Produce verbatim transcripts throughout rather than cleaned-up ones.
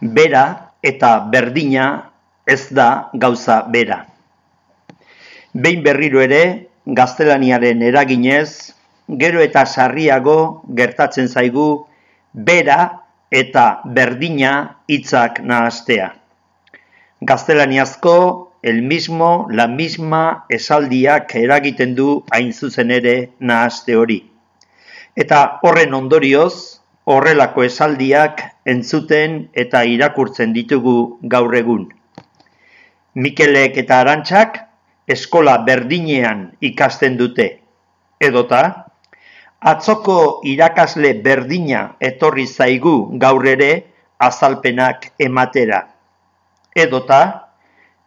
Bera eta berdina ez da gauza bera. Behin berriro ere, gaztelaniaren eraginez, gero eta sarriago gertatzen zaigu bera eta berdina hitzak nahastea. Gaztelaniazko el mismo, la misma esaldiak eragiten du hain zuzen ere nahaste hori. Eta horren ondorioz, horrelako esaldiak entzuten eta irakurtzen ditugu gaur egun. Mikelek eta Arantxak eskola berdinean ikasten dute. Edota, atzoko irakasle berdina etorri zaigu gaur ere azalpenak ematera. Edota,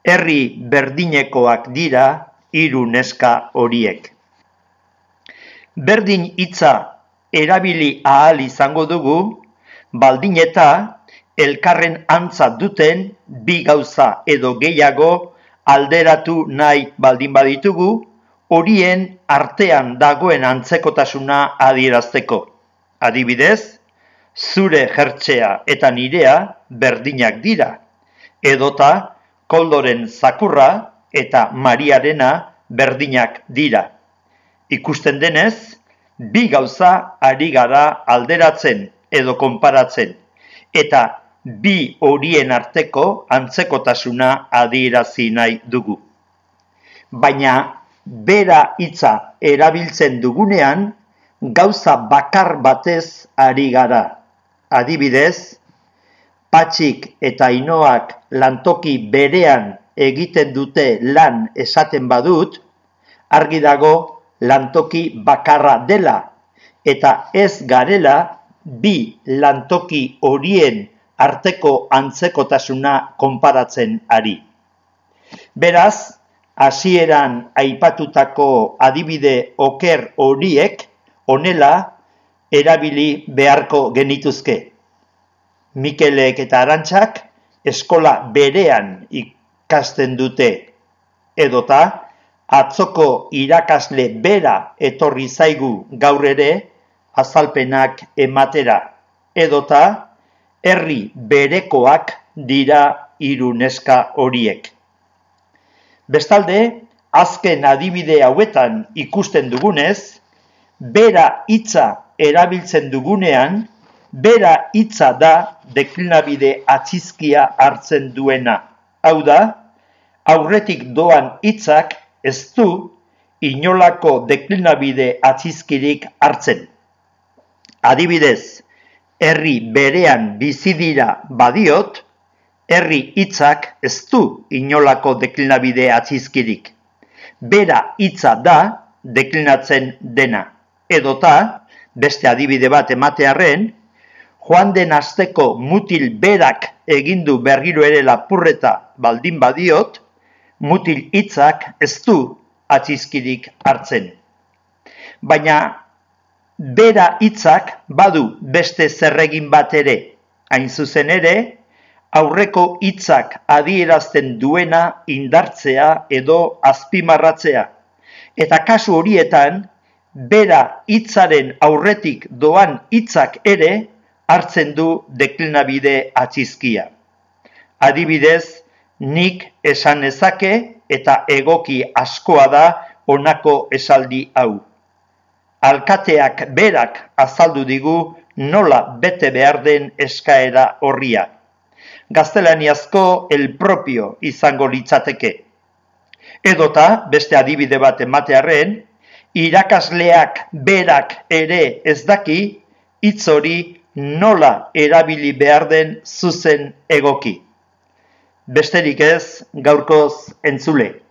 herri berdinekoak dira hiru neska horiek. Berdin hitza erabili ahal izango dugu, baldin eta elkarren antza duten bi gauza edo gehiago alderatu nahi baldin baditugu, horien artean dagoen antzekotasuna adierazteko. Adibidez, zure jertsea eta nirea berdinak dira, edota Koldoren zakurra eta Mariarena berdinak dira. Ikusten denez, bi gauza ari gara alderatzen edo konparatzen, eta bi horien arteko antzekotasuna adierazi nahi dugu. Baina bera hitza erabiltzen dugunean, gauza bakar batez ari gara. Adibidez, Patxik eta Ainoak lantoki berean egiten dute lan esaten badut, argi dago lantoki bakarra dela, eta ez garela bi lantoki horien arteko antzekotasuna konparatzen ari. Beraz, hasieran aipatutako adibide oker horiek honela erabili beharko genituzke. Mikelek eta Arantxak eskola berean ikasten dute, edota atzoko irakasle bera etorri zaigu gaur ere azalpenak ematera, edota herri berekoak dira hiru neska horiek. Bestalde, azken adibide hauetan ikusten dugunez, bera hitza erabiltzen dugunean, bera hitza da deklinabide atzizkia hartzen duena. Hau da, aurretik doan hitzak ez du inolako deklinabide atzizkirik hartzen. Adibidez, herri berean bizi dira badiot, herri hitzak ez du inolako deklinabide atzizkirik. Bera hitza da deklinatzen dena. Edota, beste adibide bat ematearren, joan den asteko mutil berak egindu berriro ere lapurreta baldin badiot, mutil hitzak ez du atzizkirik hartzen. Baina bera hitzak badu beste zerregin bat ere, hain zuzen ere, aurreko hitzak adierazten duena indartzea edo azpimarratzea. Eta kasu horietan, bera hitzaren aurretik doan hitzak ere hartzen du deklinabide atzizkia. Adibidez, nik esan nezake eta egoki askoa da honako esaldi hau. Alkateak berak azaldu digu nola bete behar den eskaera horria. Gaztelaniazko el propio izango litzateke. Edota, beste adibide bat ematearren, irakasleak berak ere ez daki hitz hori nola erabili behar den zuzen egoki. Besterik ez, gaurkoz entzule.